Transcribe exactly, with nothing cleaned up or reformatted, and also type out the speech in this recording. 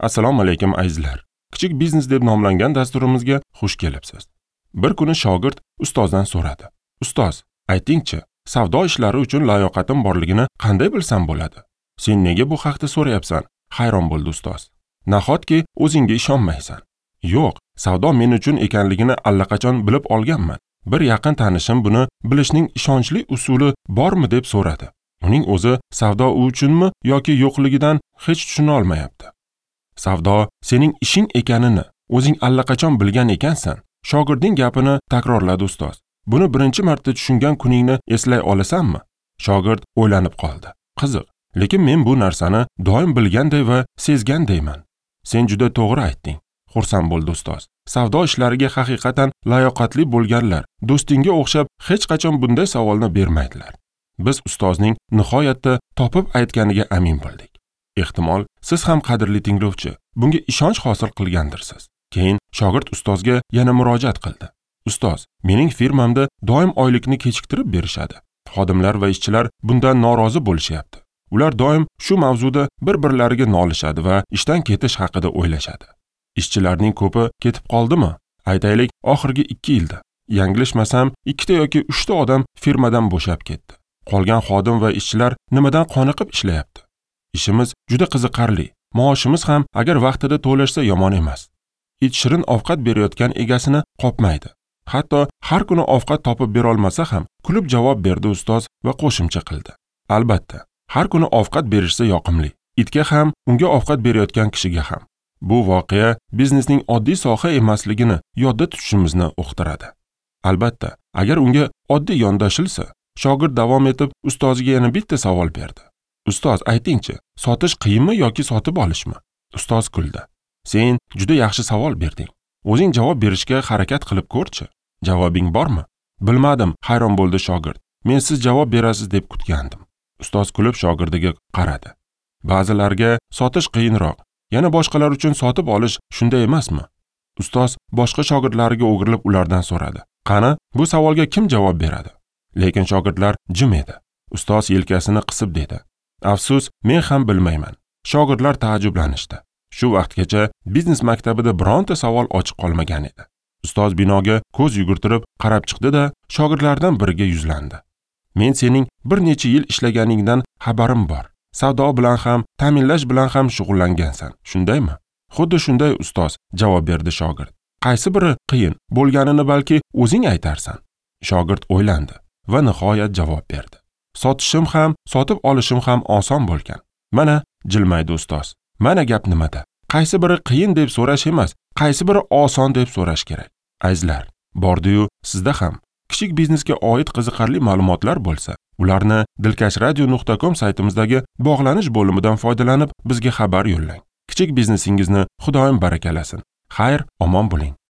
Assalomu alaykum azizlar. Kichik biznes deb nomlangan dasturimizga xush kelibsiz. Bir kuni shogird ustozdan so'radi. Ustoz, aytingchi, savdo ishlari uchun layoqatim borligini qanday bilsam bo'ladi? Sen nega bu haqda so'rayapsan? Hayron bo'ldi ustoz. Nahotki o'zingga ishonmaysan? Yo'q, savdo men uchun ekanligini allaqachon bilib olganman. Bir yaqin tanishim buni bilishning ishonchli usuli bormi deb so'radi. Uning o'zi savdo u uchunmi yoki yo'qligidan hech tushuna olmayapti. Savdo sening ishing ekanini o'zing allaqachon bilgan ekansan. Shogirdning gapini takrorladi ustoz. Buni birinchi marta tushungan kuningni eslay olasanmi? Shogird o'ylanib qoldi. Qiziq, lekin men bu narsani doim bilganday va sezgandayman. Sen juda to'g'ri aytding, xursand bo'ldi ustoz. Savdo ishlariga haqiqatan layoqatli bo'lganlar do'stingga o'xshab hech qachon bunday savolni bermaydilar. Biz ustozning nihoyatda topib aytganiga amin bo'ldik. Ehtimol, siz ham qadrli tinglovchi, bunga ishonch hosil qilgandirsiz. Keyin shogird ustozga yana murojaat qildi. Ustoz, mening firmamda doim oylikni kechiktirib berishadi. Xodimlar va ishchilar bundan norozi bo'lishyapti. Ular doim shu mavzuda bir-birlariga nolishadi va ishdan ketish haqida o'ylashadi. Ishchilarning ko'pi ketib qoldimi? Aytaylik, oxirgi ikki yilda. Yanglishmasam, ikkita yoki uchta odam firmadan bo'shab ketdi. Qolgan xodim va ishchilar nimadan qoniqib ishlayapti? Ishimiz juda qiziqarli. Maoshimiz ham agar vaqtida to'lashsa yomon emas. It shirin ovqat berayotgan egasini qopmaydi. Hatto har kuni ovqat topib bera olmasa ham kulib javob berdi ustoz va qo'shimcha qildi. Albatta, har kuni ovqat berishsa yoqimli. Itga ham, unga ovqat berayotgan kishiga ham. Bu voqea biznesning oddiy soha emasligini yodda tutishimizni uqtiradi. Albatta, agar unga oddiy yondashilsa, shogird davom etib ustoziga yana bitta savol berdi. Ustoz, aytingchi, sotish qiyinmi yoki sotib olishmi? Ustoz kuldi. Sen juda yaxshi savol berding. O'zing javob berishga harakat qilib ko'rchi. Javobing bormi? Bilmadim, hayron bo'ldi shogird. Men siz javob berasiz deb kutgandim. Ustoz kulib shogirdiga qaradi. Ba'zilarga sotish qiyinroq, yana boshqalar uchun sotib olish shunday emasmi? Ustoz boshqa shogirdlariga o'girilib ulardan so'radi. Qani, bu savolga kim javob beradi? Lekin shogirdlar jim edi. Ustoz yelkasini qisib dedi. Afsus, men ham bilmayman. Shogirdlar taajjublanishdi. Shu vaqtgacha biznes maktabida bironta savol ochiq qolmagan edi. Ustoz binoga ko'z yugurtirib qarab chiqdi-da, shogirdlardan biriga yuzlandi. Men sening bir necha yil ishlaganingdan xabarim bor. Savdo bilan ham, ta'minlash bilan ham shug'ullangansan, shundaymi? Xuddi shunday ustoz, javob berdi shogird. Qaysi biri qiyin bo'lganini balki o'zing aytarsan. Shogird o'ylandi va nihoyat javob berdi. Sotishim ham, sotib olishim ham oson bo'lgan. Mana, jilmaydi ustoz. Mana gap nimada? Qaysi biri qiyin deb so'rash emas, qaysi biri oson deb so'rash kerak. Azizlar, bordi-yu sizda ham kichik biznesga oid qiziqarli ma'lumotlar bo'lsa, ularni dilkash radio nuqta com saytimizdagi bog'lanish bo'limidan foydalanib bizga xabar yo'llang. Kichik biznesingizni Xudoyim barakalasin. Xayr, omon bo'ling.